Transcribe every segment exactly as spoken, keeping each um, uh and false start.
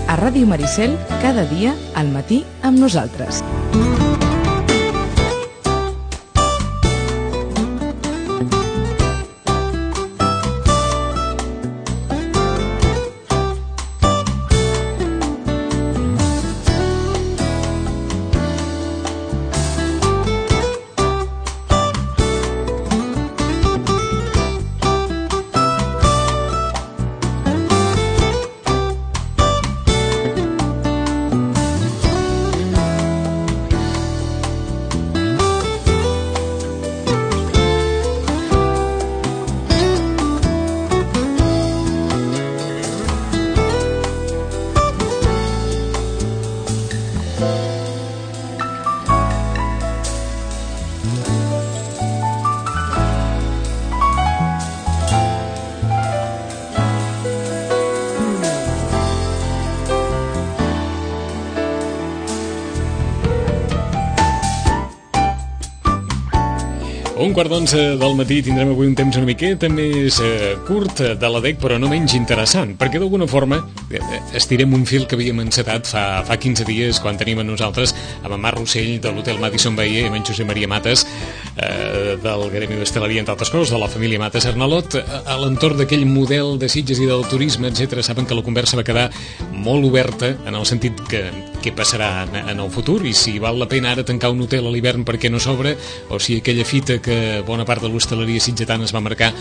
A Ràdio Maricel, cada dia, al matí, amb nosaltres. Un quart d'onze del matí tindrem avui un temps una miqueta més eh, curt de la D E C, però no menys interessant, perquè d'alguna forma eh, estirem un fil que havíem encetat fa, fa quinze dies, quan tenim a nosaltres amb en Marc Rossell de l'Hotel Madison Bayer i amb en Josep Maria Mates eh, del Gremi d'Hostaleria, entre altres coses, de la família Mates Arnalot, a, a l'entorn d'aquell model de Sitges i del turisme, etcètera. Saben que la conversa va quedar molt oberta en el sentit que què passarà en, en el futur i si val la pena ara tancar un hotel a l'hivern perquè no s'obre, o si aquella fita que bona part de l'hostaleria sitgetana es va marcar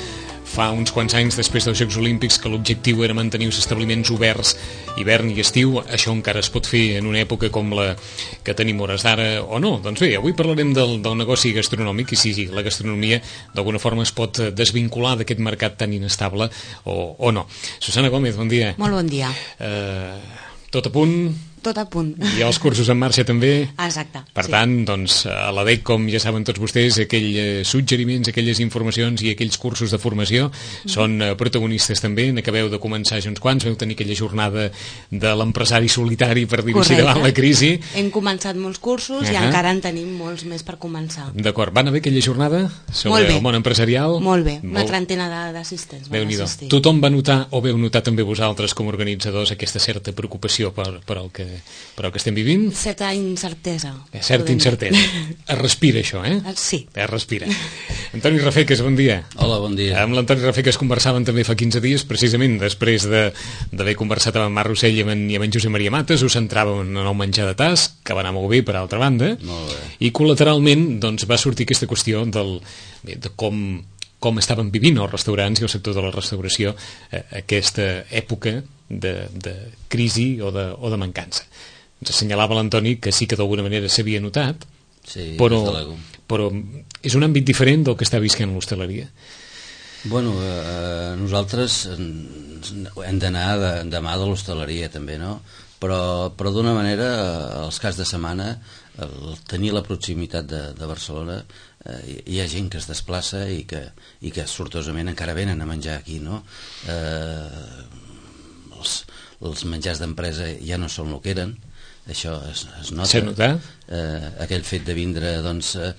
fa uns quants anys després dels Jocs Olímpics, que l'objectiu era mantenir els establiments oberts hivern i estiu, això encara es pot fer en una època com la que tenim hores d'ara o no. Doncs bé, avui parlarem del, del negoci gastronòmic i si la gastronomia d'alguna forma es pot desvincular d'aquest mercat tan inestable o, o no. Susana Gómez, bon dia. Molt bon dia. Uh, tot a punt? Tot a punt. I els cursos en marxa també? Exacte. Per sí. tant, doncs, a la D E C, com ja saben tots vostès, aquells suggeriments, aquelles informacions i aquells cursos de formació mm. són protagonistes també. N'acabeu de començar ja uns quants, veu tenir aquella jornada de l'empresari solitari, per dir-ho així, davant la crisi. Hem començat molts cursos uh -huh. i encara en tenim molts més per començar. D'acord. Van haver aquella jornada sobre el món empresarial? Molt bé. Una Molt... trentena d'assistents van assistir. Tothom va notar, o veu notar també vosaltres com a organitzadors, aquesta certa preocupació per, per el que però que estem vivint? Certa incertesa. Certa incertesa. Es respira això, eh? Sí. Es respira. Antoni Rafeques, bon dia. Hola, bon dia. Amb l'Antoni Rafeques conversaven també fa quinze dies, precisament després d'haver conversat amb en Marc Rossell i amb en, i amb en Josep Maria Mates, us centràvem en el menjar de tas, que va anar molt bé per altra banda, molt bé. I col·lateralment doncs, va sortir aquesta qüestió del, de com com estaven vivint els restaurants i el sector de la restauració eh, aquesta època de, de crisi o de, o de mancança. Ens assenyalava l'Antoni que sí que d'alguna manera s'havia notat, sí, però, però és un àmbit diferent del que està visquent l'hostaleria. Bueno, eh, nosaltres hem d'anar de, de mà de l'hostaleria també, no? Però, però d'una manera, els caps de setmana, el tenir la proximitat de, de Barcelona, eh, hi ha gent que es desplaça i que, i que sortosament encara venen a menjar aquí, no? Eh, els, els menjars d'empresa ja no són el que eren, això es, es nota. S'ha notat? Eh, aquell fet de vindre, doncs, eh,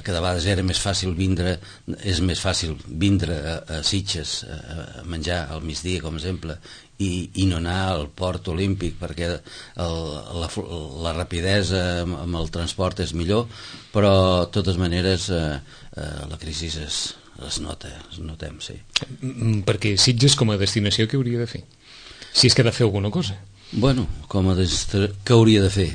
que de vegades era més fàcil vindre, és més fàcil vindre a, a Sitges a, a menjar al migdia, com a exemple, i, i no anar al port olímpic perquè el, la, la rapidesa amb, amb el transport és millor, però de totes maneres eh, eh, la crisi es, es nota, es notem, sí. Perquè Sitges com a destinació què hauria de fer? Si és que ha de fer alguna cosa. Bueno, com a destinació, què hauria de fer?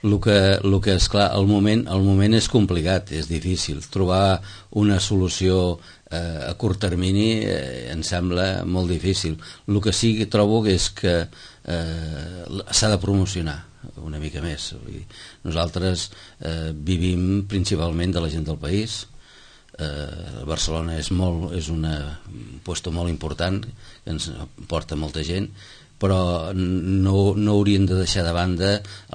El que, el que és clar, el moment, el moment és complicat, és difícil. Trobar una solució eh, a curt termini eh, em sembla molt difícil. El que sí que trobo és que eh, s'ha de promocionar una mica més. Nosaltres eh, vivim principalment de la gent del país. Eh, Barcelona és, molt, és una, un lloc molt important que ens porta molta gent, però no, no haurien de deixar de banda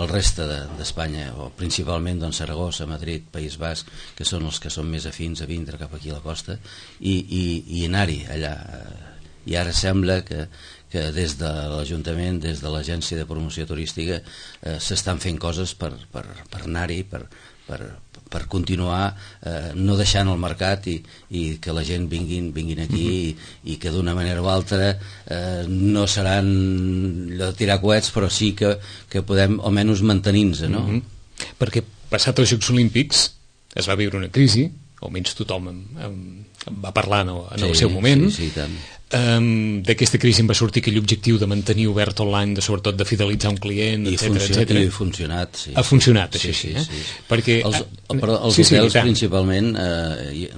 el reste d'Espanya, de, o principalment doncs, Saragossa, Madrid, País Basc, que són els que són més afins a vindre cap aquí a la costa, i, i, i anar-hi allà i ara sembla que, que des de l'Ajuntament, des de l'Agència de Promoció Turística, eh, s'estan fent coses per, per, per anar-hi, per, per, per continuar eh, no deixant el mercat i, i que la gent vinguin, vinguin aquí mm-hmm. i, i que d'una manera o altra eh, no seran allò de tirar coets, però sí que, que podem almenys mantenir-nos, no? Mm-hmm. Perquè passat els Jocs Olímpics es va viure una crisi, almenys tothom en, en, en va parlar no, en sí, el seu moment. Sí, sí, tant. Um, d'aquesta crisi en va sortir aquell objectiu de mantenir obert online, de, sobretot de fidelitzar un client, I etcètera, funcionat, etcètera. I funcionat, sí. Ha funcionat, sí, això sí, sí, sí, eh? sí. Perquè, els, però els sí, hotels sí, principalment eh,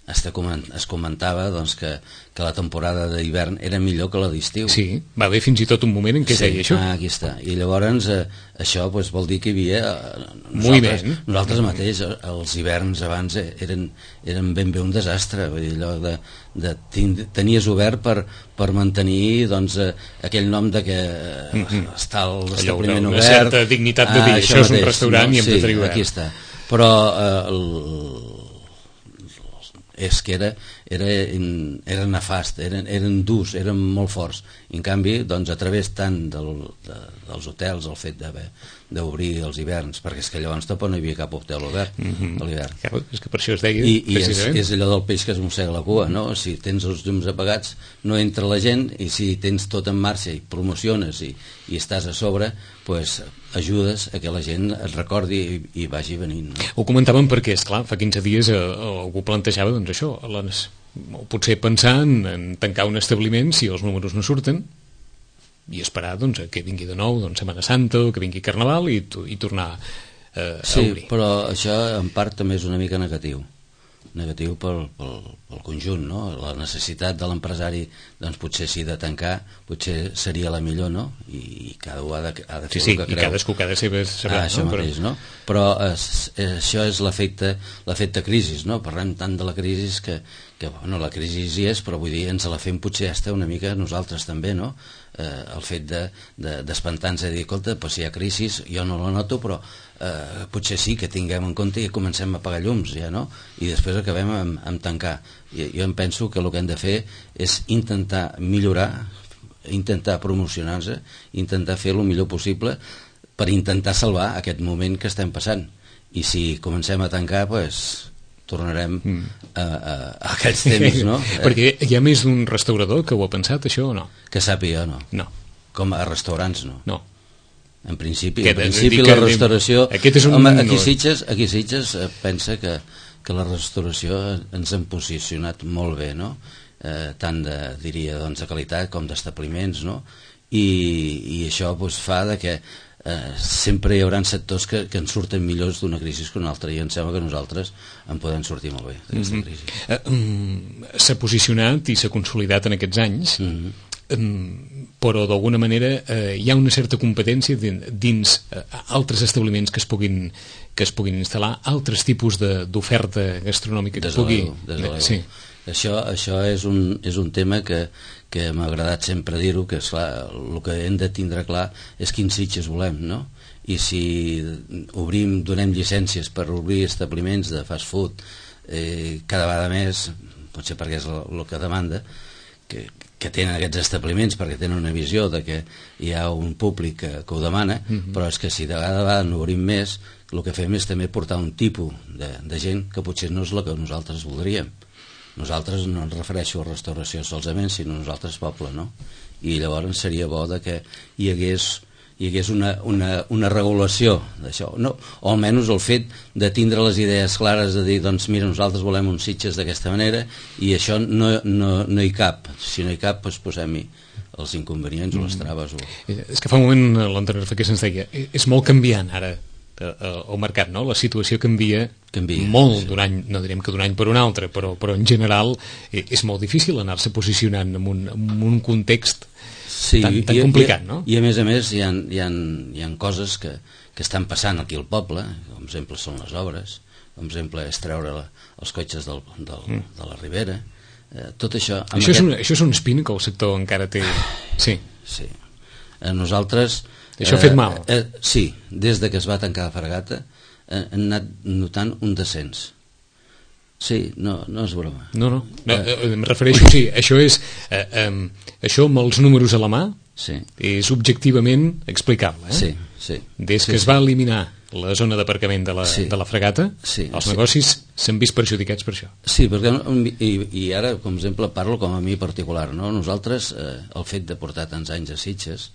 es comentava doncs, que, que la temporada d'hivern era millor que la d'estiu. Sí, va haver fins i tot un moment en què sí, deia això. Ah, aquí està. I llavors eh, això pues, vol dir que hi havia eh, nosaltres, nosaltres mateix, els hiverns abans eh, eren, eren ben bé un desastre, vull dir, allò de, de tenies obert per, per mantenir doncs, eh, aquell nom de que eh, mm-hmm. està l'establiment obert, una certa dignitat de dir, ah, això, això és un restaurant no? i hem sí, de tenir obert. Aquí està. Però eh, el, és que era, era, era nefast, eren, eren durs, eren molt forts. I en canvi, doncs, a través tant del, de, dels hotels, el fet d'obrir els hiverns, perquè és que llavors tampoc no hi havia cap hotel obert mm-hmm. a l'hivern. Claro, és que per això es deia, I, i és, és allò del peix que es mossega la cua, no? Si tens els llums apagats no entra la gent, i si tens tot en marxa i promociones i, i estàs a sobre, pues, ajudes a que la gent es recordi i, i vagi venint. No? Ho comentàvem perquè, esclar, fa quinze dies eh, algú plantejava doncs això, les, potser pensar en, en tancar un establiment si els números no surten i esperar doncs, que vingui de nou doncs, Setmana Santa o que vingui Carnaval i, i tornar eh, sí, a obrir. Sí, però això en part també és una mica negatiu. Negatiu pel, pel, pel conjunt, no? La necessitat de l'empresari doncs potser sí de tancar, potser seria la millor, no? I, i cada un ha de, ha de fer sí, sí, el que i creu. cadascú ha de saber, saber ah, això no? mateix, però... no? Però es, es, això és l'efecte l'efecte crisi, no? Parlem tant de la crisi que, que bueno, la crisi hi és, però vull dir, ens la fem potser hasta una mica nosaltres també, no? Eh, el fet de, de, d'espantar-nos i dir, escolta, pues si hi ha crisi, jo no la noto, però eh, potser sí que tinguem en compte i comencem a apagar llums, ja, no? I després acabem amb, amb tancar. I, jo em penso que el que hem de fer és intentar millorar, intentar promocionar-se, intentar fer el millor possible per intentar salvar aquest moment que estem passant. I si comencem a tancar, pues, tornarem mm. a, a, a aquests temps, no? Perquè hi ha més d'un restaurador que ho ha pensat, això, o no? Que sàpiga, no. No. Com a restaurants, no. No. En principi, que en principi la restauració... Aquest és un... Home, aquí Sitges, aquí Sitges pensa que, que la restauració ens hem posicionat molt bé, no? Eh, tant de, diria, doncs, de qualitat com d'establiments, no? I, i això doncs, fa de que eh, sempre hi haurà sectors que, que en surten millors d'una crisi que una altra, i em sembla que nosaltres en podem sortir molt bé d'aquesta mm-hmm. crisi. Eh, um, s'ha posicionat i s'ha consolidat en aquests anys, mm-hmm. um, però d'alguna manera eh, hi ha una certa competència dins, dins eh, altres establiments que es puguin que es puguin instal·lar, altres tipus de, d'oferta gastronòmica que des pugui... Des de sí. Això, això és, un, és un tema que, que m'ha agradat sempre dir-ho, que esclar, el que hem de tindre clar és quins Sitges volem, no? I si obrim, donem llicències per obrir establiments de fast food eh, cada vegada més, potser perquè és el, el que demanda, que, que tenen aquests establiments perquè tenen una visió de que hi ha un públic que, que ho demana, mm-hmm. però és que si de vegada a vegada no obrim més, el que fem és també portar un tipus de, de gent que potser no és el que nosaltres voldríem. Nosaltres no ens refereixo a restauració solament, sinó nosaltres poble, no? I llavors seria bo de que hi hagués, hi hagués una, una, una regulació d'això, no? O almenys el fet de tindre les idees clares de dir, doncs mira, nosaltres volem uns Sitges d'aquesta manera i això no, no, no hi cap. Si no hi cap, doncs posem-hi els inconvenients mm. o les traves. O... És que fa un moment l'anterior que se'ns deia, és molt canviant ara el mercat, no? La situació canvia, canvia molt sí. d'un any, no direm que d'un any per un altre, però, però en general és molt difícil anar-se posicionant en un, en un context sí, tan, tan i, complicat, i, no? I a més a més hi ha, hi ha, hi ha coses que, que estan passant aquí al poble, com exemple són les obres, com exemple és treure la, els cotxes del, del, mm. de la Ribera, eh, tot això... Això, aquest... és un, això és un espina que el sector encara té... Sí. Sí. Eh, nosaltres... Això ha fet mal. Eh, eh, sí, des de que es va tancar la Fragata eh, hem anat notant un descens. Sí, no, no és broma. No, no, no eh, em refereixo, sí, això és eh, eh, això amb els números a la mà, sí, és objectivament explicable, eh? Sí, sí. Des que sí, es sí. va eliminar la zona d'aparcament de, la, sí. de la fregata, sí, els sí. negocis s'han vist perjudicats per això. Sí, perquè, i, i ara, com exemple, parlo com a mi particular, no? Nosaltres, eh, el fet de portar tants anys a Sitges,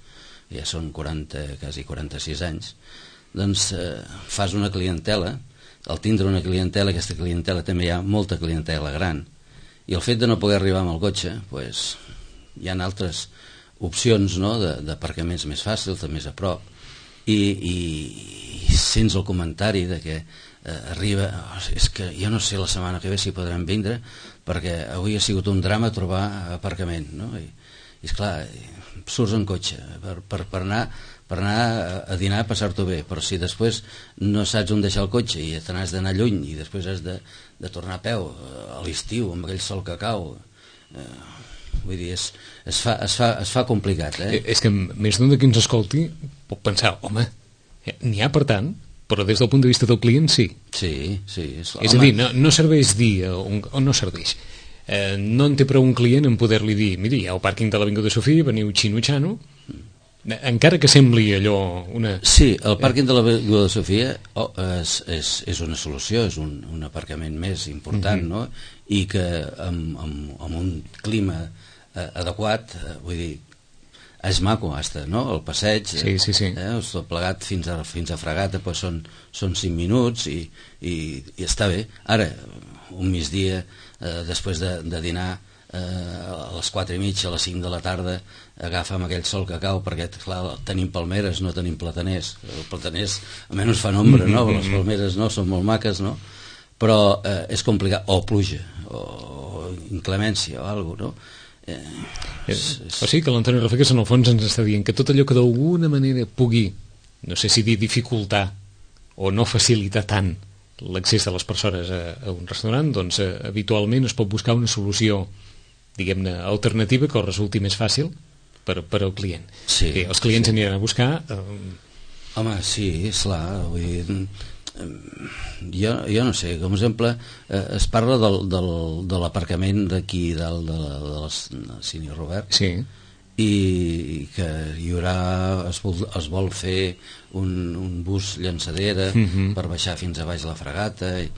ja són quaranta, quasi quaranta-sis anys, doncs eh, fas una clientela, al tindre una clientela, aquesta clientela també hi ha molta clientela gran, i el fet de no poder arribar amb el cotxe, pues, hi ha altres opcions, no?, d'aparcaments més fàcils, de més a prop, i, i, i sents el comentari de que eh, arriba, oh, és que jo no sé la setmana que ve si podrem vindre, perquè avui ha sigut un drama trobar aparcament, no? I, i esclar, surts en cotxe per, per, per anar per anar a dinar, a passar-t'ho bé, però si després no saps on deixar el cotxe i te n'has d'anar lluny i després has de, de tornar a peu a l'estiu amb aquell sol que cau, eh, vull dir, es, es, fa, es, fa, es fa complicat, eh? És que més d'un de qui ens escolti pot pensar, home, n'hi ha per tant, però des del punt de vista del client sí. Sí, sí. És, és a dir, no, no serveix dir on, on no serveix. Eh, no en té prou un client en poder-li dir, miri, hi ha el pàrquing de l'Avinguda Sofia, veniu xino-xano, encara que sembli allò una... Sí, el pàrquing de l'Avinguda de Sofia oh, és, és, és una solució, és un, un aparcament més important, uh-huh. no? I que amb, amb, amb un clima eh, adequat, eh, vull dir, és maco, hasta, no? El passeig, sí, sí, sí. Eh, tot plegat fins a, fins a Fregata, pues són, són cinc minuts i, i, i està bé. Ara, un migdia, eh, després de, de dinar, eh, a les quatre i mitja, a les cinc de la tarda, agafa'm aquell sol que cau, perquè clar, tenim palmeres, no tenim plataners. Els plataners almenys fan ombra, no? Les palmeres no, són molt maques, no? Però eh, és complicat, o pluja, o inclemència, o alguna cosa, no? Eh, és, és... O sigui que l'Antoni Rafegues en el fons ens està dient que tot allò que d'alguna manera pugui, no sé si dir dificultar o no facilitar tant l'accés de les persones a, a un restaurant, doncs eh, habitualment es pot buscar una solució, diguem-ne, alternativa que resulti més fàcil per, per al client. Sí, eh, els clients sí. aniran a buscar... Eh... Home, sí, és clar, vull dir... Jo, jo no sé, com a exemple eh, es parla del, del, de l'aparcament d'aquí dalt de, la, de la Cine Robert, sí. i, i que hi haurà es vol, es vol fer un, un bus llançadera uh-huh. per baixar fins a baix la Fregata i,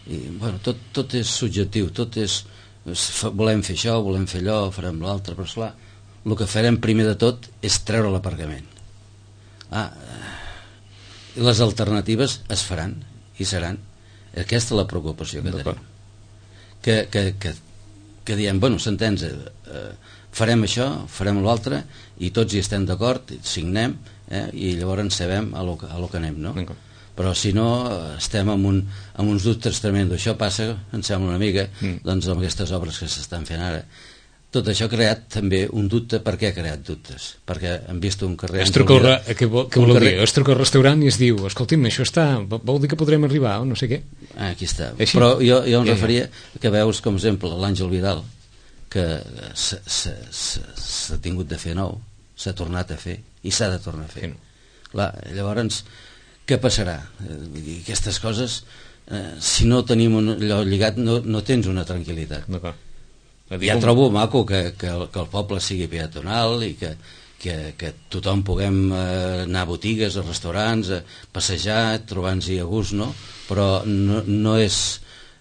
i bueno, tot, tot és subjectiu, tot és, és volem fer això, volem fer allò, farem l'altre, però esclar, el que farem primer de tot és treure l'aparcament. Ah, les alternatives es faran i seran. Aquesta és la preocupació que tenim, que, que, que, que diem, bueno, s'entens, eh, farem això, farem l'altre i tots hi estem d'acord, signem, eh, i llavors sabem a lo, a lo que anem, no? Però si no estem amb, un, amb uns dubtes tremendos. Això passa, em sembla una mica, mm. doncs amb aquestes obres que s'estan fent ara. Tot això ha creat també un dubte. Per què ha creat dubtes? Perquè han vist un carrer... Es truca el, què vol, què vol carrer... dir? Es truca al restaurant i es diu, escolti'm, això està, vol dir que podrem arribar o no sé què? Ah, aquí està. Així? Però jo, jo em ja, referia ja. que veus, com exemple, l'Àngel Vidal, que s'ha tingut de fer nou, s'ha tornat a fer i s'ha de tornar a fer. Sí. Clar, llavors, què passarà? Eh, aquestes coses, eh, si no tenim un, allò lligat, no, no tens una tranquil·litat. D'acord. Ja trobo maco que, que, el, que el poble sigui peatonal i que, que, que tothom puguem eh, anar a botigues, a restaurants, a passejar, trobar-nos-hi a gust, no? Però no, no és...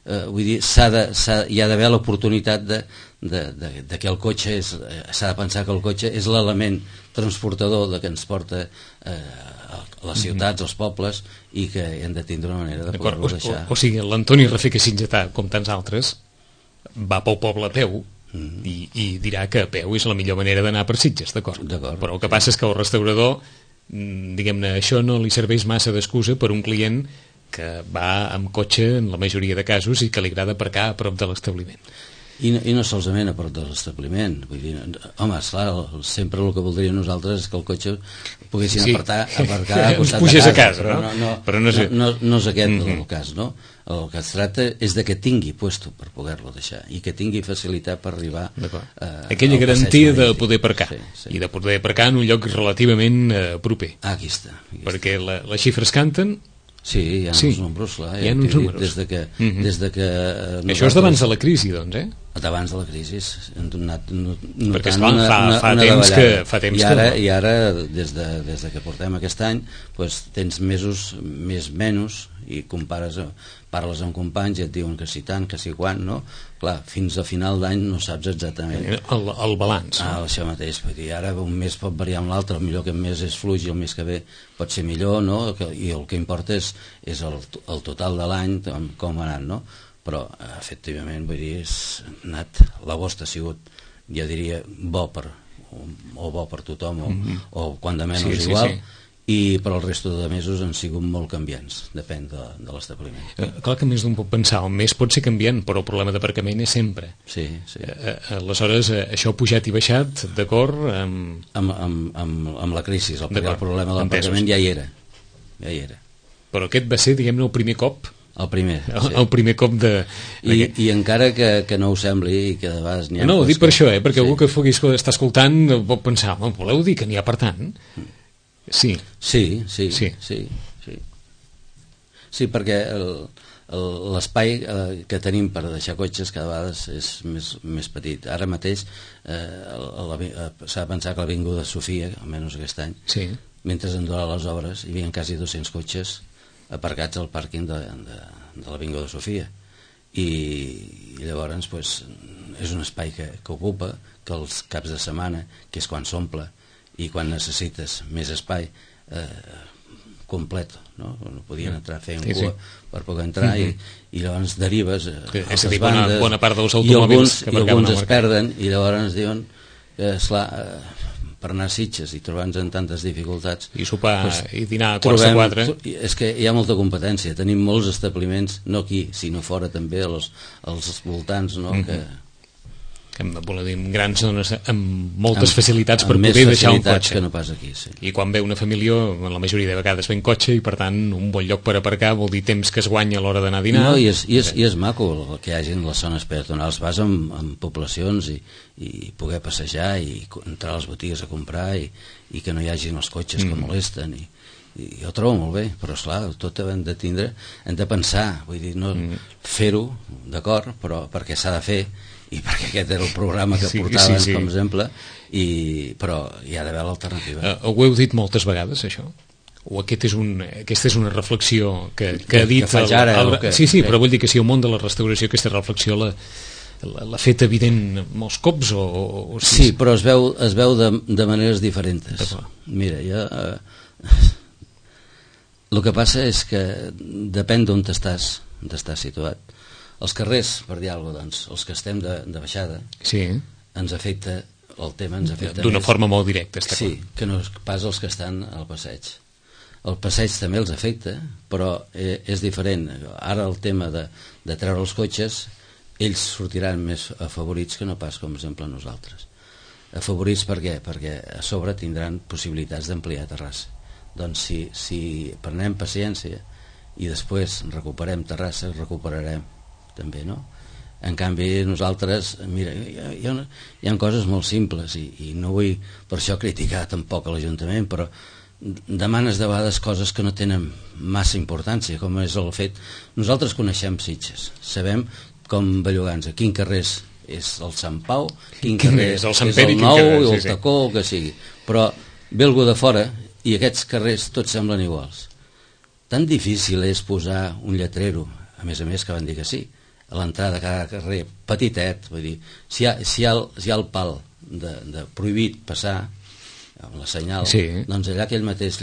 Eh, vull dir, s'ha de, s'ha, hi ha d'haver l'oportunitat de, de, de, de que el cotxe és... Eh, s'ha de pensar que el cotxe és l'element transportador de que ens porta eh, a les ciutats, als pobles, i que hem de tindre una manera de poder-lo deixar. O, o, o sigui, l'Antoni Rafegues Sitgetà, com tants altres, va pel poble a peu mm-hmm. i, i dirà que a peu és la millor manera d'anar per Sitges, d'acord? Però el que passa és que el restaurador, diguem-ne, això no li serveix massa d'excusa per un client que va amb cotxe en la majoria de casos i que li agrada aparcar a prop de l'establiment. I no, i no solament a prop de l'establiment, vull dir, home, esclar, sempre el que voldríem nosaltres és que el cotxe poguessin sí. apartar, aparcar a costat de casa, a casa, però, no? No, no, però no, sé. no, no, no és aquest mm-hmm. el cas, no? El que es tracta és de que tingui puesto per poder-lo deixar i que tingui facilitat per arribar a, aquella garantia de poder aparcar sí, sí. i de poder aparcar en un lloc relativament eh, proper. Ah, aquí està, aquí perquè la, les xifres canten Sí, hi ha Sí, uns números, clar. hi ha uns números. Des de que... Uh -huh. des de que nosaltres... Això és d'abans de la crisi, doncs, eh? D'abans de la crisi hem donat notant perquè esclar, una, fa, una, fa una temps davallada. que fa temps I ara, que... i ara des, de, des de que portem aquest any pues, tens mesos més menys i compares, parles amb companys i et diuen que si tant, que si quan, no? Clar, fins a final d'any no saps exactament el, el balanç. Ah, no? Això mateix, vull dir, ara un mes pot variar amb l'altre, el millor aquest mes és fluix i el mes que ve pot ser millor, no? I el que importa és, és el, el total de l'any, com ha anat, no? Però efectivament, vull dir, és anat, l'agost ha sigut, jo diria, bo per o, o bo per tothom o, mm -hmm. o quan de menys sí, sí, igual sí. I per el resto de mesos han sigut molt canviants, depèn de, de l'establiment. Eh, clar que més d'un pot pensar, el mes pot ser canviant, però el problema d'aparcament és sempre. Sí, sí. Eh, aleshores, eh, això ha pujat i baixat, d'acord? Amb... Amb, amb, amb, amb la crisi, el, el problema de l'aparcament ja hi era, ja hi era. Però aquest va ser, diguem-ne, el primer cop. El primer, el, sí. el primer cop de... I, i encara que, que no ho sembli i que de vegades n'hi ha... No, ho dic per això, eh? Perquè sí. algú que pugui estar escoltant pot pensar, voleu dir que n'hi ha per tant? Sí. Sí, sí, sí. sí, sí. Sí, perquè l'espai eh, que tenim per deixar cotxes cada vegada és més, més petit. Ara mateix eh, s'ha de pensar que l'Avinguda Sofia, almenys aquest any, sí. mentre han durat les obres, hi havia quasi dos-cents cotxes aparcats al pàrquing de, de, de l'Avinguda Sofia. I, i llavors pues, és un espai que, que ocupa, que els caps de setmana, que és quan s'omple, i quan necessites més espai eh, complet, no? No podien entrar fent sí, cua sí. per poder entrar uh-huh. i, i llavors derives a és a a dir, bandes, bona, bona part dels i automòbils alguns, que i alguns es marcar. perden i llavors diuen que esclar, eh, per anar a Sitges i trobar-nos en tantes dificultats i sopar pues, i dinar a quarts de quatre és que hi ha molta competència, tenim molts establiments no aquí, sinó fora també als, als voltants no? uh-huh. que que dir, grans zones amb moltes amb, facilitats amb per poder deixar un cotxe que no pas aquí, sí. I quan ve una família la majoria de vegades ve en cotxe i per tant un bon lloc per aparcar vol dir temps que es guanya a l'hora d'anar a dinar no, i, és, i, és, i és maco que hi hagi les zones peatonals, vas en, en poblacions i, i poder passejar i entrar a les botigues a comprar i, i que no hi hagin els cotxes mm. que molesten i, i jo ho trobo molt bé, però esclar, tot hem de tindre, hem de pensar vull dir, no mm. fer-ho, d'acord però perquè s'ha de fer i perquè aquest era el programa que sí, portaven sí, sí. com a exemple i, però hi ha d'haver l'alternativa uh, ho heu dit moltes vegades això? O aquest és un, aquesta és una reflexió que, que ha dit que faig ara, el, el, que, sí, sí, que... però vull dir que si el món de la restauració aquesta reflexió la, la, l'ha fet evident molts cops o, o, o sí, sí, però es veu, es veu de, de maneres diferents mira, jo eh, el que passa és que depèn d'on t'estàs on t'estàs situat els carrers, per dir alguna cosa, doncs, els que estem de, de baixada, sí. ens afecta, el tema ens afecta d'una més, forma molt directa, està sí, clar. que no pas els que estan al passeig. El passeig també els afecta, però eh, és diferent. Ara el tema de, de treure els cotxes, ells sortiran més afavorits que no pas, com exemple, nosaltres. Afavorits per què? Perquè a sobre tindran possibilitats d'ampliar terrassa. Doncs si, si prenem paciència i després recuperem terrassa, recuperarem també, no? En canvi nosaltres, mira, hi ha, hi ha, hi ha coses molt simples i, i no vull per això criticar tampoc a l'Ajuntament, però demanes de vegades coses que no tenen massa importància, com és el fet nosaltres coneixem Sitges, sabem com bellugants, a quin carrer és el Sant Pau, quin carrer és el, és el Nou i el Tacó, el que sigui, però ve algú de fora i aquests carrers tots semblen iguals. Tan difícil és posar un lletrero, a més a més que van dir que sí, a l'entrada de cada carrer, petitet, vull dir, si hi ha, si hi ha, el, si hi ha el pal de, de prohibit passar, amb la senyal, sí. doncs allà aquell mateix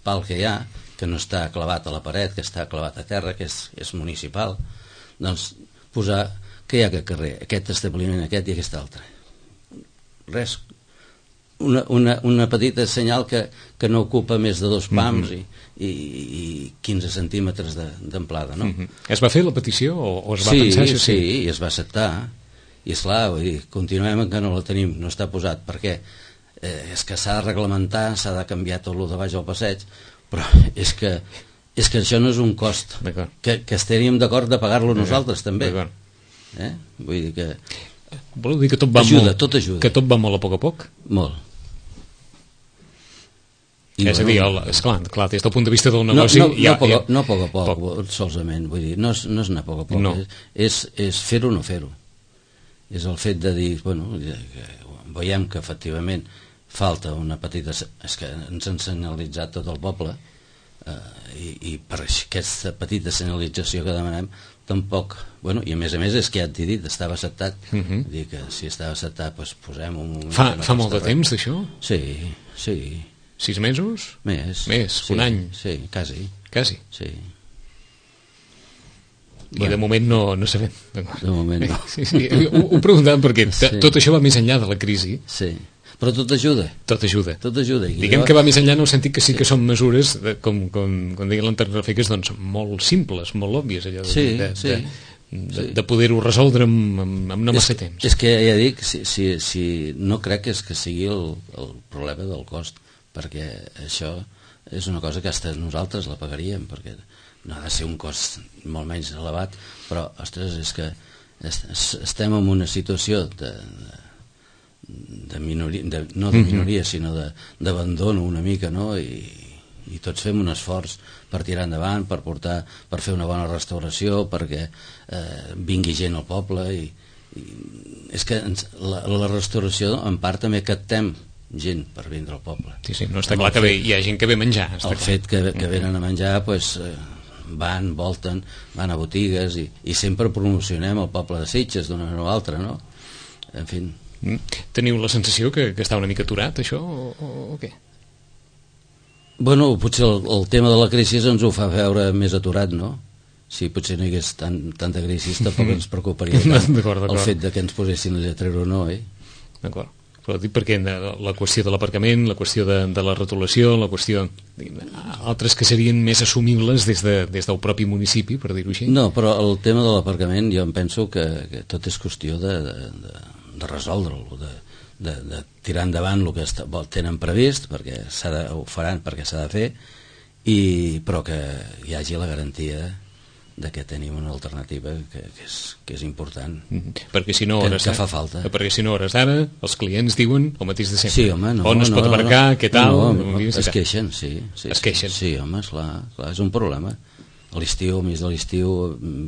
pal que hi ha, que no està clavat a la paret, que està clavat a terra, que és, és municipal, doncs posar que hi ha aquest carrer, aquest establiment, aquest i aquest altre. Res, una, una, una petita senyal que, que no ocupa més de dos pams mm-hmm. i, i, i quinze centímetres d'amplada, no? Mm-hmm. Es va fer la petició o, o es va sí, pensar això? Sí, sí, i es va acceptar i esclar, vull dir, continuem que no la tenim, no està posat, perquè eh, és que s'ha de reglamentar, s'ha de canviar tot el de baix al passeig, però és que, és que això no és un cost que, que estaríem d'acord de pagar-lo nosaltres també, eh? Vull dir que voleu dir que tot va ajuda, molt, tot ajuda. Que tot va molt a poc a poc? Molt. I, és a dir, el, esclar, clar, des del punt de vista del negoci... No, no, ja, no, poc, ja, no a poc a poc, poc. solament, vull dir, no és, no és anar a poc a poc, no. és, és fer-ho o no fer-ho. És el fet de dir, bueno, veiem que efectivament falta una petita... És que ens han senyalitzat tot el poble, eh, i, i per aquesta petita senyalització que demanem, tampoc... Bueno, i a més a més és que ja t'he dit, estava acceptat. Uh -huh. Dir que si estava acceptat, doncs posem un moment... Fa, no fa molt de res. temps, d'això? Sí, sí. Sis mesos? Més. Més, sí, un any? Sí, quasi. Quasi? Sí. I bueno, de moment no, no sabem. De moment no. Sí, sí, ho, ho preguntàvem perquè sí. tot això va més enllà de la crisi. Sí, però tot ajuda. Tot ajuda. Tot ajuda. I Diguem jo... que va més enllà en el sentit que sí que són mesures, de, com, com, com deia l'Antarrafeques, doncs molt simples, molt òbvies, allò de, sí, de, sí. de, de, de poder-ho resoldre amb, amb, amb no massa és, temps. És que ja dic, si, si, si no crec que, és que sigui el, el problema del cost, perquè això és una cosa que hasta nosaltres la pagaríem, perquè no ha de ser un cost molt menys elevat, però, ostres, és que estem en una situació de, de, de minoria, de, no de minoria, sinó d'abandono una mica, no?, i, i tots fem un esforç per tirar endavant, per portar, per fer una bona restauració, perquè eh, vingui gent al poble, i, i és que ens, la, la restauració en part també captem gent per vindre al poble. Sí, sí, no està clar que bé, hi ha gent que ve a menjar. El clar. fet que, que venen a menjar, pues, eh, van, volten, van a botigues, i, i sempre promocionem el poble de Sitges d'una manera o altra, no? En fi. Mm. Teniu la sensació que, que està una mica aturat, això, o, o, o què? Bueno, potser el, el tema de la crisi ens ho fa veure més aturat, no? Si potser no hi hagués tan, tanta crisi, tampoc ens preocuparia tant el fet de que ens posessin el lletrer o no, eh? D'acord. Però dic perquè la qüestió de l'aparcament, la qüestió de, de la rotulació, la qüestió... altres que serien més assumibles des, de, des del propi municipi, per dir-ho així. No, però el tema de l'aparcament jo em penso que, que tot és qüestió de, de, de, de resoldre'l, de, de, de tirar endavant el que està, tenen previst, perquè de, ho faran perquè s'ha de fer, i, però que hi hagi la garantia de que tenim una alternativa que, que, és, que és important, mm-hmm. perquè si no que, hores que fa falta, perquè si no hores d'ara els clients diuen el mateix de sempre. Sí, home, no, on es no, pot no, aparcar, no, què tal, no, no, no, es queixen, sí, sí, es queixen. Sí, sí, home, esclar, clar, és un problema. A l'estiu, a més de l'estiu,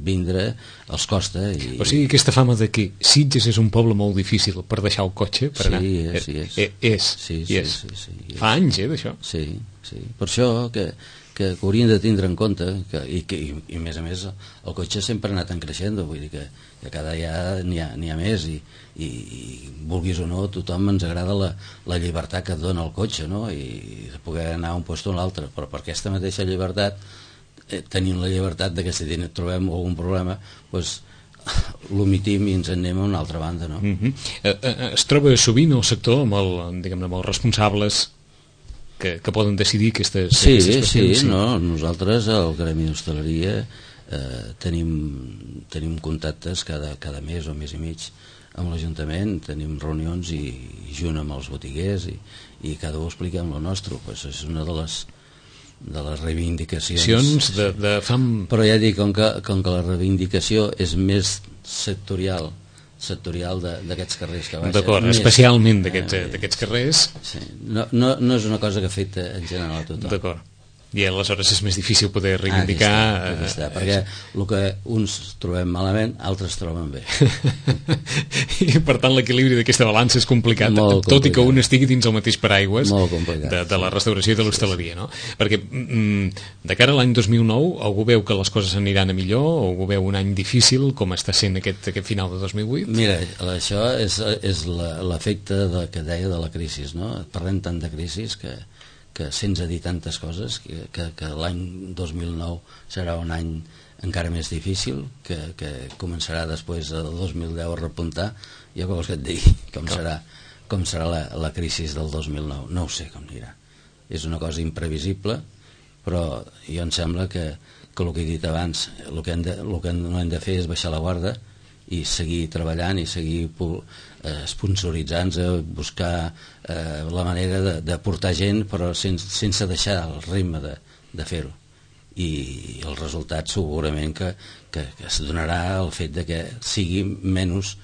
vindre els costa. I... O sigui, aquesta fama de que Sitges és un poble molt difícil per deixar el cotxe, per sí, anar... és, sí, és. Eh, és, sí, sí, és. sí, sí, sí, fa anys, eh, d'això. Sí, sí, per això que, que, que haurien de tindre en compte, que, i, que, i, i a més a més el cotxe sempre ha anat en creixent, vull dir que, que cada dia n'hi ha, n'hi ha més, i, i, i vulguis o no, tothom ens agrada la, la llibertat que et dona el cotxe, no?, i de poder anar a un lloc o a l'altre, però per aquesta mateixa llibertat, eh, tenim la llibertat de que si trobem algun problema, doncs l'omitim i ens en anem a una altra banda, no? Mm-hmm. eh, eh, es troba sovint el sector amb, el, diguem-ne, amb els responsables que, que poden decidir aquestes, sí, aquestes qüestions. Sí, sí, no, nosaltres al Gremi d'Hostaleria eh, tenim, tenim contactes cada, cada mes o mes i mig amb l'Ajuntament, tenim reunions i, i junt amb els botiguers i, i cada un explica amb el nostre, pues és una de les de les reivindicacions de, de fam... però ja dic, com que, com que la reivindicació és més sectorial sectorial d'aquests carrers que baixa. D'acord, especialment d'aquests eh, carrers. Sí. No, no, no és una cosa que afecta en general a tothom. D'acord. I aleshores és més difícil poder reivindicar... Ah, aquí està, aquí està, perquè el que uns trobem malament, altres troben bé. I per tant l'equilibri d'aquesta balança és complicat, Molt tot complicat. i que un estigui dins el mateix paraigües de, de la restauració i de l'hostaleria, no? Perquè mm, de cara a l'any dos mil nou algú veu que les coses aniran a millor o algú veu un any difícil com està sent aquest, aquest final de dos mil vuit? Mira, això és, és l'efecte de, que deia de la crisi, no? Parlem tant de crisi que que sense dir tantes coses, que, que, que l'any dos mil nou serà un any encara més difícil, que, que començarà després del dos mil deu a repuntar. Jo què vols que et digui? Com serà, com serà la, la crisi del dos mil nou? No ho sé com anirà. És una cosa imprevisible, però jo em sembla que, que el que he dit abans, el que, hem de, el que no hem de fer és baixar la guarda i seguir treballant i seguir eh, sponsoritzant-se, buscar eh, la manera de, de portar gent però sense, sense deixar el ritme de, de fer-ho, i el resultat segurament que, que, que es donarà el fet de que sigui menys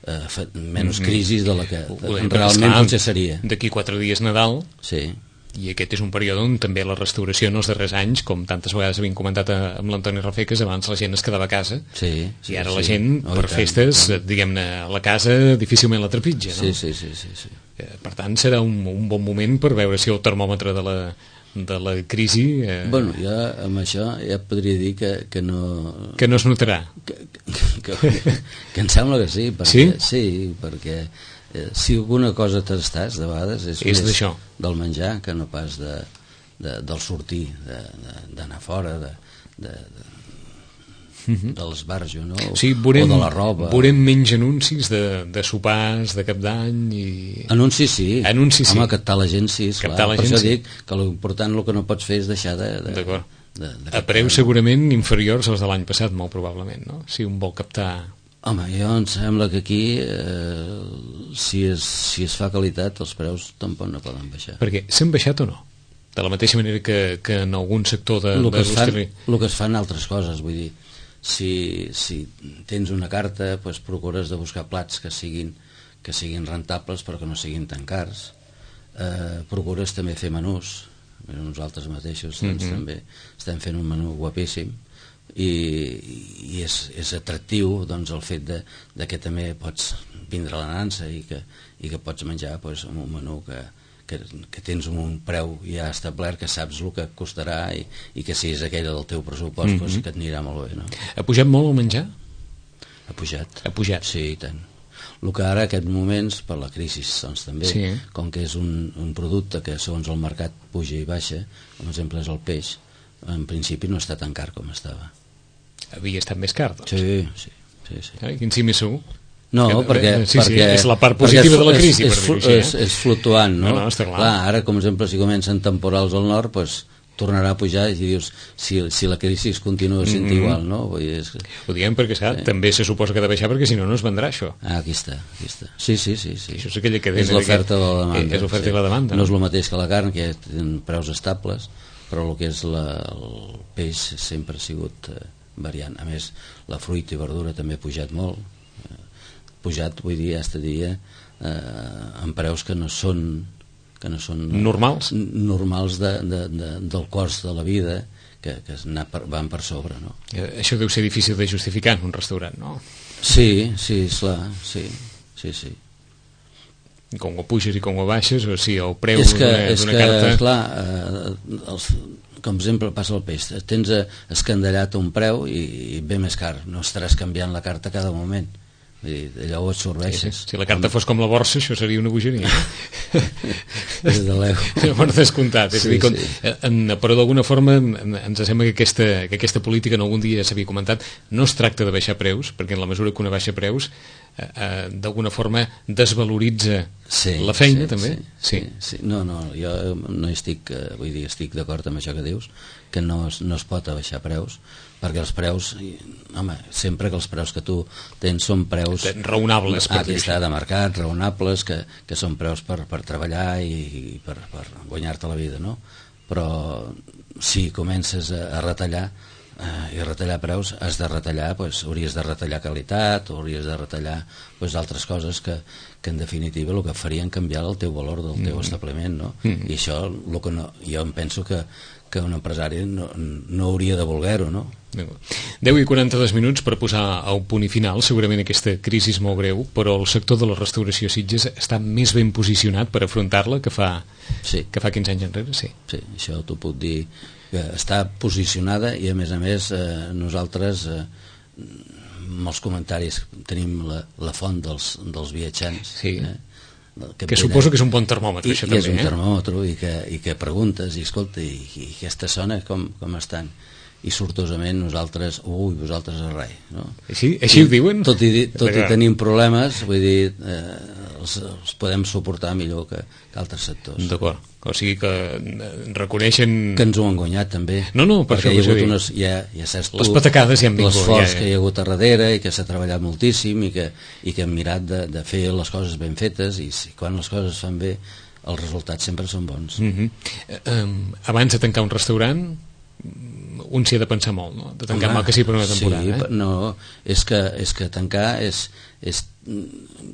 eh, menys crisi de la que de, realment potser seria. D'aquí quatre dies Nadal, sí. I aquest és un període on també la restauració en els darrers anys, com tantes vegades havíem comentat amb l'Antoni Rafeques, abans la gent es quedava a casa, sí, sí, i ara sí, la gent, oh, per tant, festes, tant. diguem-ne, a la casa difícilment la trepitja, no? Sí, sí, sí, sí, sí. Per tant, serà un, un bon moment per veure si el termòmetre de la, de la crisi... Eh, bueno, jo amb això ja podria dir que, que no... Que no es notarà. Que, que, que, que em sembla que sí, perquè, sí? Sí, perquè eh, si alguna cosa t'estàs, de vegades, és, és més d'això. Del menjar que no pas de, de, del sortir, d'anar de, fora, de... de, de Uh-huh. de l'esbarjo, no? Sí, veurem, o de la roba. Veurem menys anuncis de, de sopars, de cap d'any i... Anuncis sí. Anuncis sí. Home, captar la gent sí, esclar. Captar la per gent, això sí. dic que l'important el que no pots fer és deixar de... de, de, de, de a preus segurament inferiors als de l'any passat, molt probablement, no? Si un vol captar... Home, jo em sembla que aquí eh, si, es, si es fa qualitat els preus tampoc no poden baixar. Perquè s'han baixat o no? De la mateixa manera que, que en algun sector de... El que, de es fan, el que es fan altres coses, vull dir, si, si tens una carta, doncs procures de buscar plats que siguin, que siguin rentables però que no siguin tan cars. Eh, procures també fer menús. Nosaltres mateixos doncs, mm-hmm. també estem fent un menú guapíssim i, i és, és atractiu doncs, el fet de, de que també pots vindre a la nansa i que, i que pots menjar doncs, un menú que, que, que tens un preu ja establert, que saps el que costarà i, i que si és aquella del teu pressupost mm-hmm. doncs, que et anirà molt bé, no? Ha pujat molt el menjar? Ha pujat. Ha pujat? Sí, i tant. El que ara, aquests moments, per la crisi doncs, també, sí. com que és un, un producte que segons el mercat puja i baixa, com exemple és el peix, en principi no està tan car com estava. Havia estat més car, doncs? Sí, sí. sí, sí. Ai, quin sí més segur? No, que, perquè, sí, sí, perquè... és la part positiva de la crisi, és, és, per dir-ho així. És, és fluctuant, no? No, no, està clar. clar. Ara, com exemple, si comencen temporals al nord, doncs tornarà a pujar i dius, si, si la crisi es continua sent mm-hmm. igual, no? Vull dir, és... Ho diem perquè, esclar, sí. també se suposa que ha de baixar perquè si no, no es vendrà això. Ah, aquí està, aquí està. Sí, sí, sí. sí. Això és aquella cadena. És l'oferta de la demanda. És l'oferta sí. i la demanda. No? no és el mateix que la carn, que tenen preus estables, però el que és la, el peix sempre ha sigut eh, variant. A més, la fruita i verdura també ha pujat molt. Eh, pujat, vull dir, hasta dia, eh, amb preus que no són... que no són normals, normals de, de, de, del cost de la vida, que, que per, van per sobre, no? Això deu ser difícil de justificar en un restaurant, no? Sí, sí, esclar, sí, sí, sí. Com ho puges i com ho baixes, o sigui, el preu és que, d'una, és d'una que, carta... Esclar, eh, els, com exemple passa el peix, tens escandallat un preu i, i ve més car, no estaràs canviant la carta cada moment. Allò ho absorbeixes. Sí, sí. Si la carta fos com la borsa, això seria una bogeria. Des de l'eu. Per descomptat. És sí, a dir, com, sí. en, però d'alguna forma ens sembla que aquesta, que aquesta política, en algun dia ja s'havia comentat, no es tracta de baixar preus, perquè en la mesura que una baixa preus, eh, eh, d'alguna forma desvaloritza sí, la feina, sí, també. Sí, sí. Sí, sí. No, no, jo no estic, vull dir, estic d'acord amb això que dius, que no es, no es pot abaixar preus, perquè els preus, home, sempre que els preus que tu tens són preus raonables, per aquí està, de mercat, raonables, que, que són preus per, per treballar i, i per, per guanyar-te la vida, no? Però si comences a, a retallar eh, i retallar preus, has de retallar, pues, hauries de retallar qualitat, o hauries de retallar pues, altres coses que, que en definitiva el que farien canviar el teu valor del teu mm. establiment, no? Mm. I això, lo que no, jo em penso que que un empresari no, no hauria de voler-ho, no? deu i quaranta-dos minuts per posar el punt i final. Segurament aquesta crisi és molt greu, però el sector de la restauració a Sitges està més ben posicionat per afrontar-la que fa, sí. que fa quinze anys enrere, sí. Sí, això t'ho puc dir, que està posicionada i a més a més eh, nosaltres eh, amb els comentaris tenim la, la font dels, dels viatjants, sí. eh? Que, que suposo que és un bon termòmetre, I, això i també, és un eh? termòmetre i que, i que preguntes i escolta, i, i aquesta zona com, com estan, i sortosament nosaltres, ui, vosaltres a res, no? Així, així I, ho diuen? Tot i, tot i tenim problemes, vull dir, eh, els, els podem suportar millor que, que altres sectors. D'acord, o sigui que reconeixen... Que ens ho han guanyat també. No, no, per perquè això hi ha hagut unes, ja, ja saps tu, les patacades ja han vingut. L'esforç ja, ja. que hi ha hagut a darrere i que s'ha treballat moltíssim i que, i que hem mirat de, de fer les coses ben fetes i si, quan les coses es fan bé els resultats sempre són bons. Mm-hmm. um, abans de tancar un restaurant un s'hi ha de pensar molt, no? De tancar mal que sí per una temporada. Sí, eh? no, és que, és que tancar és, és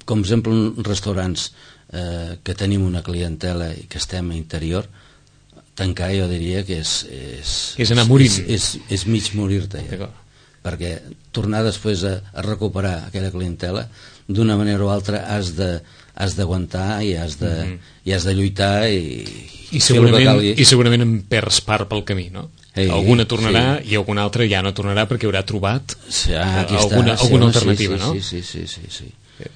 com exemple restaurants eh, que tenim una clientela i que estem a interior, tancar jo diria que és... És, és anar morint. És, és, és mig morir-te, ja. Perquè tornar després a, a recuperar aquella clientela, d'una manera o altra has de has d'aguantar i has de, mm -hmm. i has de lluitar i, i, segurament, i segurament en perds part pel camí, no? Ei, alguna tornarà sí. I alguna altra ja no tornarà perquè haurà trobat sí, ah, alguna, està, alguna sí, alternativa, sí, no? Sí, sí, sí, sí, sí.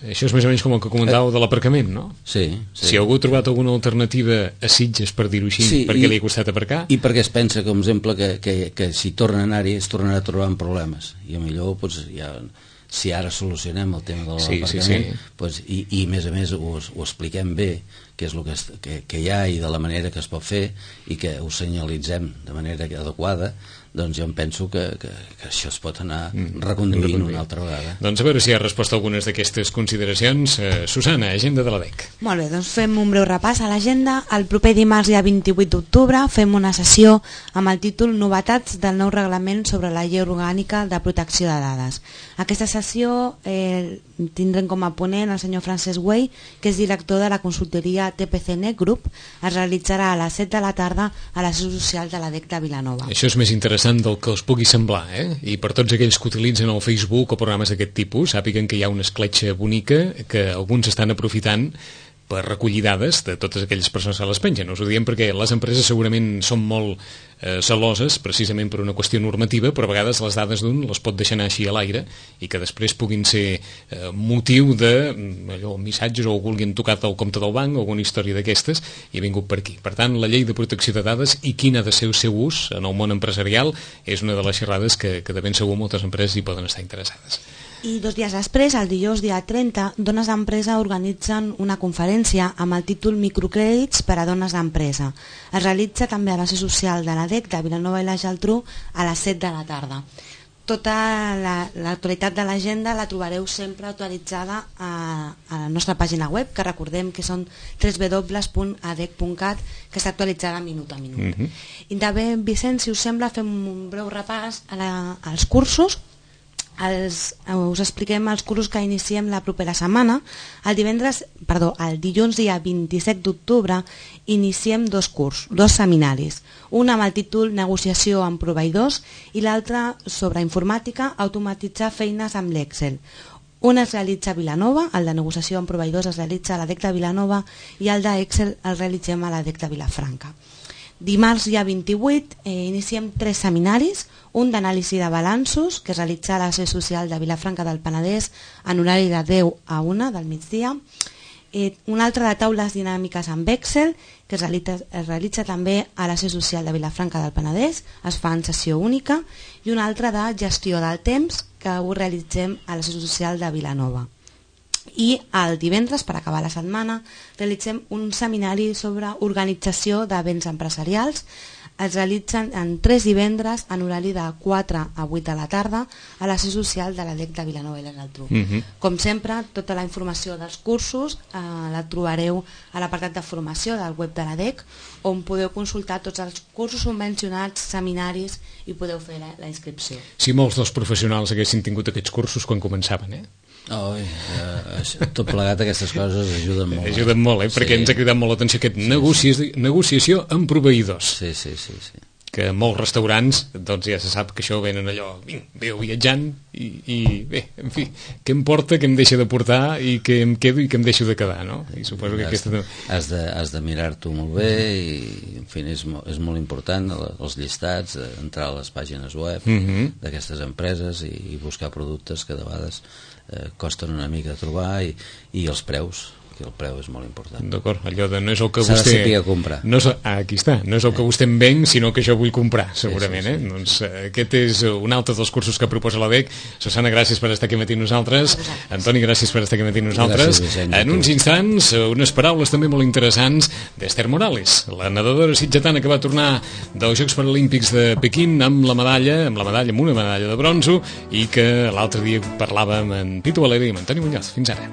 Això és més o menys com el que comentàveu de l'aparcament, no? Sí, sí. Si algú ha trobat alguna alternativa a Sitges, per dir-ho així, sí, perquè i, li ha costat aparcar... I perquè es pensa, com exemple, que, que, que si torna a anar-hi es tornarà a trobar amb problemes. I millor, doncs, ja, si ara solucionem el tema de l'aparcament, sí, sí, sí. Doncs, i, i a més a més ho, ho expliquem bé, què és el que, que, que hi ha i de la manera que es pot fer, i que ho senyalitzem de manera adequada, doncs jo em penso que, que, que això es pot anar mm, reconduint una altra vegada. Doncs a veure si ha respost a algunes d'aquestes consideracions. Eh, Susana, agenda de la D E C. Molt bé, doncs fem un breu repàs a l'agenda. El proper dimarts, dia vint-i-vuit d'octubre, fem una sessió amb el títol Novetats del nou reglament sobre la llei orgànica de protecció de dades. Aquesta sessió eh, tindrem com a ponent el senyor Francesc Güell, que és director de la consultoria T P C N Group. Es realitzarà a les set de la tarda a la seu social de la D E C de Vilanova. Això és més interessant del que us pugui semblar, eh? I per tots aquells que utilitzen el Facebook o programes d'aquest tipus, sàpiguen que hi ha una escletxa bonica que alguns estan aprofitant per recollir dades de totes aquelles persones que les pengen. Us ho diem perquè les empreses segurament són molt eh, celoses, precisament per una qüestió normativa, però a vegades les dades d'un les pot deixar anar així a l'aire i que després puguin ser eh, motiu de allò, missatges o algú han tocat el compte del banc o alguna història d'aquestes i ha vingut per aquí. Per tant, la llei de protecció de dades i quin ha de ser el seu ús en el món empresarial és una de les xerrades que, que de ben segur moltes empreses hi poden estar interessades. I dos dies després, el dijous dia trenta, Dones d'Empresa organitzen una conferència amb el títol Microcrèdits per a dones d'empresa. Es realitza també a la seu social de la D E C de Vilanova i la Geltrú a les set de la tarda. Tota l'actualitat la, de l'agenda la trobareu sempre actualitzada a, a la nostra pàgina web, que recordem que són w w w punt a d e c punt cat, que està actualitzada minut a minut. Mm-hmm. I també, Vicent, si us sembla, fem un breu repàs a la, als cursos. Els, us expliquem els cursos que iniciem la propera setmana. El divendres, perdó, el dilluns dia vint-i-set d'octubre iniciem dos cursos, dos seminaris, un amb el títol Negociació amb proveïdors i l'altre sobre informàtica, automatitzar feines amb l'Excel. Un es realitza a Vilanova, el de negociació amb proveïdors es realitza a la D E C de Vilanova i el d'Excel el realitzem a la D E C de Vilafranca. Dimarts, dia vint-i-vuit, eh, iniciem tres seminaris, un d'anàlisi de balanços, que es realitza a la seu social de Vilafranca del Penedès en horari de deu a una del migdia, eh, un altre de taules dinàmiques amb Excel, que es realitza, es realitza també a la seu social de Vilafranca del Penedès, es fa en sessió única, i un altre de gestió del temps, que ho realitzem a la seu social de Vilanova. I el divendres, per acabar la setmana, realitzem un seminari sobre organització de béns empresarials. Es realitzen en tres divendres en horari de quatre a vuit de la tarda a la seu social de la D E C de Vilanova i la Geltrú. Mm-hmm. Com sempre, tota la informació dels cursos eh, la trobareu a l'apartat de formació del web de la D E C, on podeu consultar tots els cursos subvencionats, seminaris i podeu fer la, la inscripció. Si molts dels professionals haguessin tingut aquests cursos quan començaven, eh? Oh, eh, tot plegat aquestes coses ajuden molt. Ajuden molt, eh? Perquè sí. Ens ha cridat molt l'atenció aquest sí, negoci... sí. negociació amb proveïdors. Sí, sí, sí, sí. Que molts restaurants, doncs ja se sap que això venen allò, veu viatjant i, i bé, en fi, què em porta, què em deixa de portar i què em quedo i què em deixo de quedar, no? I suposo que has, aquesta... Has de, has de mirar-t'ho molt bé i, en fi, és, és molt important els llistats, entrar a les pàgines web mm-hmm. d'aquestes empreses i, i buscar productes que de vegades eh, costen una mica de trobar i, i els preus, que el preu és molt important. D'acord, allò de no és el que s'ha vostè... de saber comprar. No és, ah, aquí està, no és el que vostè em ven, sinó que jo vull comprar, segurament. Sí, sí, sí. Eh? Doncs eh, aquest és un altre dels cursos que proposa la D E C. Susana, gràcies per estar aquí matí nosaltres. Antoni, gràcies per estar aquí matí nosaltres. Gràcies, Vicent, en uns instants, unes paraules també molt interessants d'Esther Morales, la nedadora sitgetana que va tornar dels Jocs Paralímpics de Pequín amb la medalla, amb la medalla, amb una medalla de bronzo, i que l'altre dia parlàvem amb Pitu Valeri i amb Antoni Muñoz. Fins ara.